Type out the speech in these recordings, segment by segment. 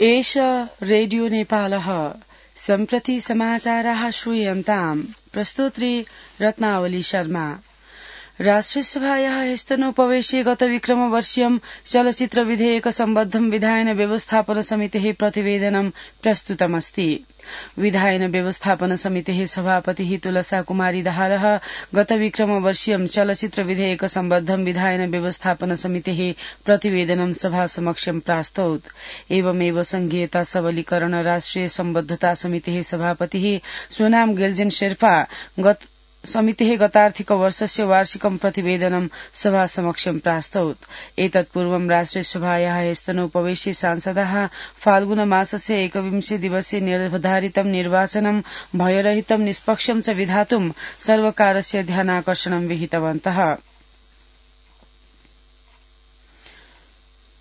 एष रेडियो नेपालः सम्प्रति समाचाराः श्रूयन्ताम् प्रस्तोत्री रत्नावली शर्मा। राष्ट्रियसभायाः ह्यस्तनोपवेशे गत विक्रमवर्षीयं चलचित्र विधेयक सम्बद्धं विधायन व्यवस्थापन समितेः प्रतिवेदनं प्रस्तुतमस्ति। विधायन व्यवस्थापन समितेः सभापतिः तुलसा कुमारी दाहालः गत विक्रमवर्षीयं चलचित्र विधेयक सम्बद्धं विधायन व्यवस्थापन समितेः प्रतिवेदनं सभा समक्षं प्रास्तौत्। एवमेव संघीयता सबलीकरण राष्ट्रिय सम्बद्धता समितेः सभापतिः सोनाम गेल्जेन शेर्पा समितेः गतार्थिक वर्षस्य वार्षिकं प्रतिवेदनं सभा समक्षं प्रास्तौत्। एतत्पूर्वं राष्ट्रियसभायाः ह्यस्तनोपवेशे सांसदाः फाल्गुन मासस्य 21 दिवसे निर्धारितं निर्वाचनं भयरहितं निष्पक्षं च विधातुं सर्वकारस्य ध्यानाकर्षणं विहितवन्तः।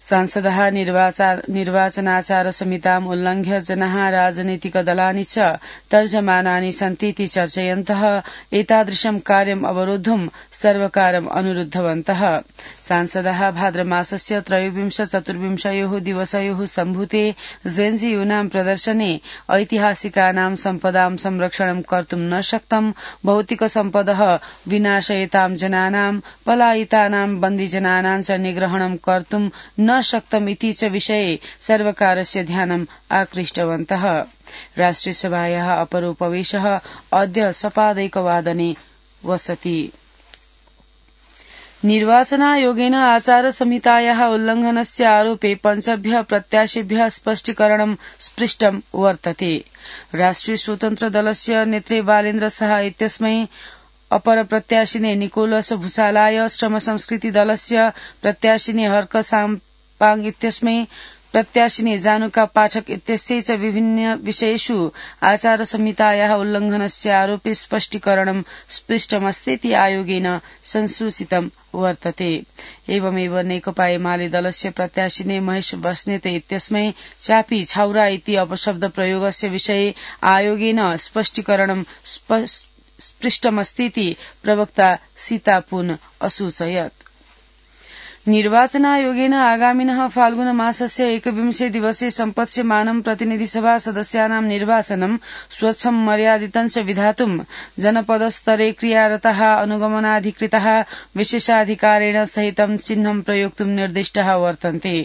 सांसदाः निर्वाचनाचार संहिताम् उल्लङ्घ्य जनाः राजनीतिकदलानि च तर्जमानानि सन्तीति चर्चयन्तः एतादृशं कार्यम् अवरोद्धुं सर्वकारम् अनुरुद्धवन्तः। सांसदाः भाद्रमासस्य 23-24 दिवसयोः सम्भूते जेन्जी यूनां प्रदर्शने ऐतिहासिकानां सम्पदां संरक्षणं कर्तुं न शक्तं, भौतिक सम्पदः विनाशयतां जनानां पलायितानां बन्दिजनानां च निग्रहणं कर्तुं न शक्तम् इति च विषये सर्वकारस्य ध्यानम् आकृष्टवन्तः। राष्ट्रियसभायाः अपरोपवेशः अद्य सपादैकवादने वसति। निर्वाचनायोगेन आचार संहितायाः उल्लङ्घनस्य आरोपे 5 प्रत्याशिभ्यः स्पष्टीकरणं स्पृष्टं वर्तते। राष्ट्रिय स्वतन्त्र दलस्य नेत्रे बालेन्द्र शाह इत्यस्मै, अपर प्रत्याशिने निकोलस भूषालाय, श्रम संस्कृति दलस्य प्रत्याशिने हर्क साम्पाङ इत्यस्मै, प्रत्याशिने जानुका पाठक इत्यस्यै च विभिन्न विषयेषु आचार संहितायाः उल्लङ्घनस्य आरोपे स्पष्टीकरणं स्पृष्टमस्तीति आयोगेन संसूचितं वर्तते। एवमेव नेकपा एमाले दलस्य प्रत्याशिने महेश बस्नेत इत्यस्मै चापी छाउरा इति अपशब्द प्रयोगस्य विषये आयोगेन स्पष्टीकरणं स्पृष्टमस्तीति प्रवक्ता सीता पुन असूचयत्। निर्वाचनायोगेन आगामिनः फाल्गुन मासस्य 21 दिवसे सम्पत्स्यमानं प्रतिनिधिसभा सदस्यानां निर्वाचनं स्वच्छं मर्यादितं च विधातुं जनपदस्तरे क्रियारताः अनुगमनाधिकृताः विशेषाधिकारेण सहितं चिह्नं प्रयोक्तुं निर्दिष्टाः वर्तन्ते।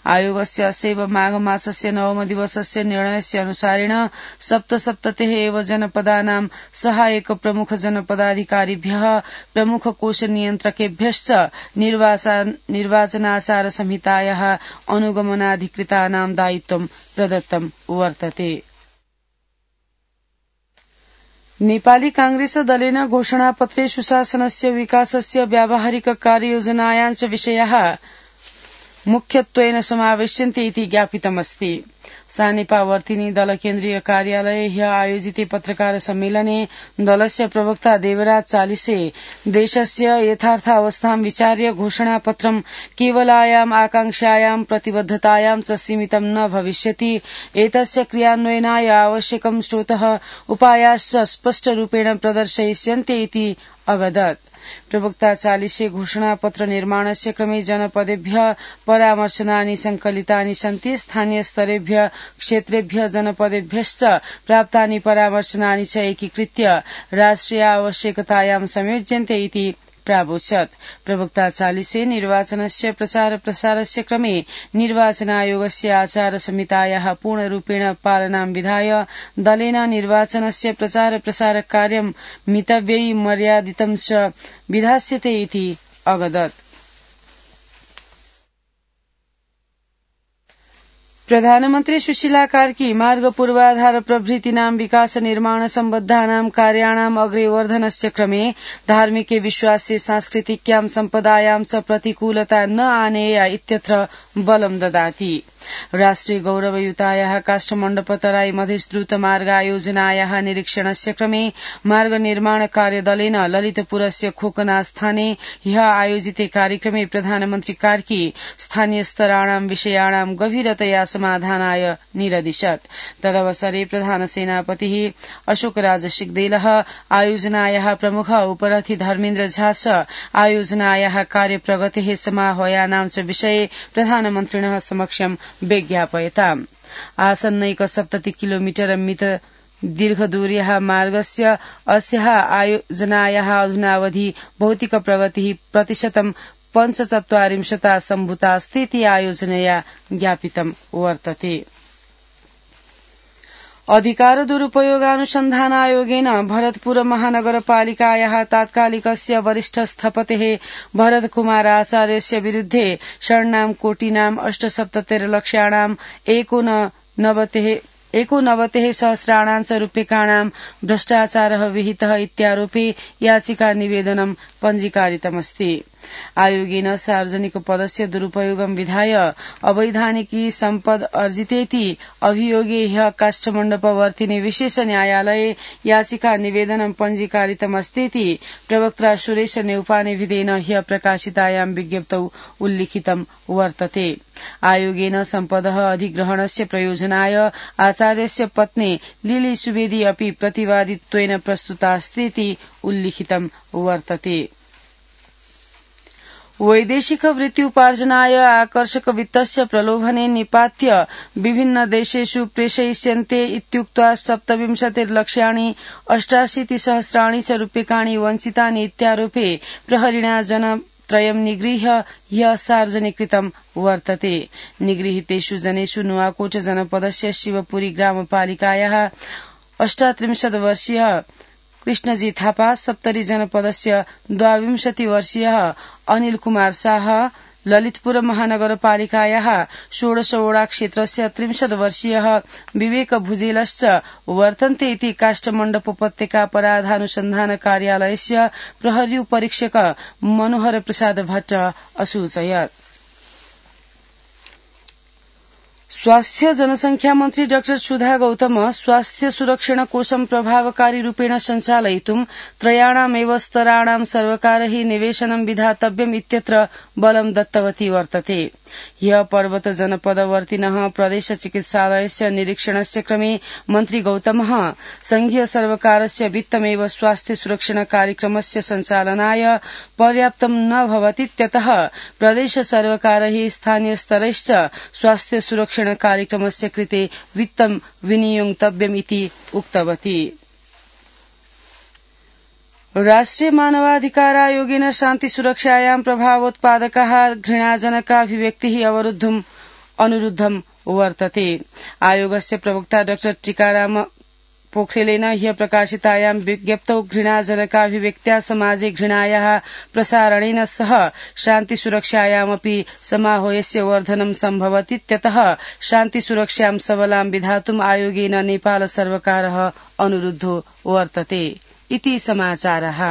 आयोगस्य अस्यैव माघ मासस्य 9 दिवसस्य निर्णयस्य अनुसारेण सप्तसप्ततेः एव जनपदानां सहायक प्रमुख जनपदाधिकारिभ्यः प्रमुख कोष नियन्त्रकेभ्यश्च निर्वाचनाचार संहितायाः अनुगमनाधिकृतानां दायित्वं प्रदत्तं वर्तते। नेपाली कांग्रेस दलेन घोषणापत्रे सुशासनस्य विकासस्य व्यावहारिक कार्ययोजनायां च विषयाः मुख्यत्वेन समावेश्यन्ते इति ज्ञापितमस्ति। सानेपावर्तिनी दल केन्द्रीय कार्यालये ह्य आयोजिते पत्रकार सम्मेलने दलस्य प्रवक्ता देवराज चालिसे देशस्य यथार्थावस्थां विचार्य घोषणापत्रं केवलायाम् आकांक्षायां प्रतिबद्धतायां च सीमितं न भविष्यति, एतस्य क्रियान्वयनाय आवश्यकं स्रोतः उपायाश्च स्पष्टरूपेण प्रदर्शयिष्यन्ते इति अवदत्। प्रवक्ता चालिसे घोषणापत्र निर्माणस्य क्रमे जनपदेभ्यः परामर्शनानि संकलितानि सन्ति, स्थानीय स्तरेभ्यः क्षेत्रेभ्यः जनपदेभ्यश्च प्राप्तानि परामर्शनानि च एकीकृत्य राष्ट्रिय आवश्यकतायां संयोज्यन्ते इति प्रावोचत्। प्रवक्ता चालिसे निर्वाचनस्य प्रचार प्रसारस्य क्रमे निर्वाचनायोगस्य आचार संहितायाः पूर्णरूपेण पालनां विधाय दलेन निर्वाचनस्य प्रचार प्रसार कार्यं मितव्ययी मर्यादितं च विधास्यते इति अवदत्। प्रधानमन्त्री सुशीला कार्की मार्ग पूर्वाधार प्रभृतीनां विकास निर्माण सम्बद्धानां कार्याणाम् अग्रेवर्धनस्य क्रमे धार्मिके विश्वासे सांस्कृतिक्यां सम्पदायां च प्रतिकूलता न आनेया इत्यत्र बलं ददाति। राष्ट्रिय गौरवयुतायाः काष्ठमण्डपतराई मधेस द्रुत मार्गायोजनायाः निरीक्षणस्य क्रमे मार्ग निर्माण कार्यदलेन ललितपुरस्य खोकनास्थाने ह्य आयोजिते कार्यक्रमे प्रधानमन्त्री कार्की स्थानीय स्तराणां विषयाणां गभीरतया समाधानाय निरदिशत्। तदवसरे प्रधान सेनापतिः अशोकराज सिग्देलः, आयोजनायाः प्रमुख उपरथी धर्मेन्द्र झा च आयोजनायाः कार्यप्रगतेः समाह्वयानां च विषये प्रधानमन्त्रिणः समक्षं विज्ञापयताम्। आसन्नैक 70 किलोमीटर मित दीर्घदूर्याः मार्गस्य अस्याः आयोजनायाः अधुनावधि भौतिक प्रगतिः प्रतिशतं 45% सम्भूतास्तीति आयोजनया ज्ञापितं वर्तते। अधिकार दुरुपयोगानुसन्धानायोगेन भरतपुर महानगरपालिकायाः तात्कालिकस्य वरिष्ठ स्थपतेः भरतकुमार आचार्यस्य विरुद्धे षण्णां कोटीनां 78 लक्षाणां 89 सहस्राणां रूप्यकाणां भ्रष्टाचारः विहितः इत्यारोपे याचिका निवेदनं पञ्जीकारितमस्ति। आयोगेन सार्वजनिक पदस्य दुरुपयोगं विधाय अवैधानिकी सम्पद अर्जितेति अभियोगे ह्यः काष्ठमण्डपवर्तिनि विशेष न्यायालये याचिका निवेदनं पञ्जीकारितमस्तीति प्रवक्ता सुरेश नेउपानेभिदेन ह्यः प्रकाशितायां विज्ञप्तौ उल्लिखितं वर्तते। आयोगेन सम्पदः अधिग्रहणस्य प्रयोजनाय आचार्यस्य पत्नी लिली सुवेदी अपि प्रतिवादित्वेन प्रस्तुतास्तीति उल्लिखितं वर्तते। वैदेशिक वृत्त्युपार्जनाय आकर्षक वित्तस्य प्रलोभने निपात्य विभिन्न देशेषु प्रेषयिष्यन्ते इत्युक्त्वा 27 लक्षाणि 88 सहस्राणि च रूप्यकाणि वञ्चितानि इत्यारोपे प्रहरिणा जनत्रयं निगृह्य ह्यः सार्वजनिकृतं वर्तते। निगृहीतेषु जनेषु नुवाकोट जनपदस्य शिवपुरी ग्रामपालिकायाः 38 वर्षीयः कृष्णजी थापा, सप्तरी जनपदस्य 22 वर्षीयः अनिल कुमार शाह, ललितपुर महानगरपालिकायाः 16 वडा क्षेत्रस्य 63 वर्षीयः विवेक भुजेलश्च वर्तन्ते इति काष्ठमण्डप उपत्यका अपराधानुसन्धान कार्यालयस्य प्रहरी परीक्षक मनोहर प्रसाद भट्ट असूचयत्। स्वास्थ्य जनसंख्या मन्त्री डाक्टर सुधा गौतम स्वास्थ्य सुरक्षण कोशं प्रभावकारी रूपेण सञ्चालयितुं त्रयाणामेव स्तराणां सर्वकारैः निवेशनं विधातव्यम् इत्यत्र बलं दत्तवती वर्तते। ह्यः पर्वत जनपदवर्तिनः प्रदेश चिकित्सालयस्य निरीक्षणस्य क्रमे मन्त्री गौतमः संघीय सर्वकारस्य वित्तमेव स्वास्थ्य सुरक्षण कार्यक्रमस्य सञ्चालनाय पर्याप्तं न भवतीत्यतः प्रदेश सर्वकारैः स्थानीय स्तरैश्च स्वास्थ्य सुरक्षण कार्यक्रमस्य कृते वित्तं विनियोक्तव्यमिति उक्तवती। राष्ट्रिय मानवाधिकार आयोगेन शान्ति सुरक्षायां प्रभावोत्पादकाः घृणाजनकाभिव्यक्तिः अवरुद्धुम् अनुरुद्धं वर्तते। आयोगस्य प्रवक्ता डाक्टर टीकाराम पोखरेलेन ह्यः प्रकाशितायां विज्ञप्तौ घृणाजनकाभिव्यक्त्या समाजे घृणायाः प्रसारणेन सह शान्ति सुरक्षायामपि समाहोयस्य वर्धनं सम्भवतीत्यतः शान्ति सुरक्षां सबलां विधातुम् आयोगेन नेपाल सर्वकारः अनुरुद्धो वर्तते इति समाचारः।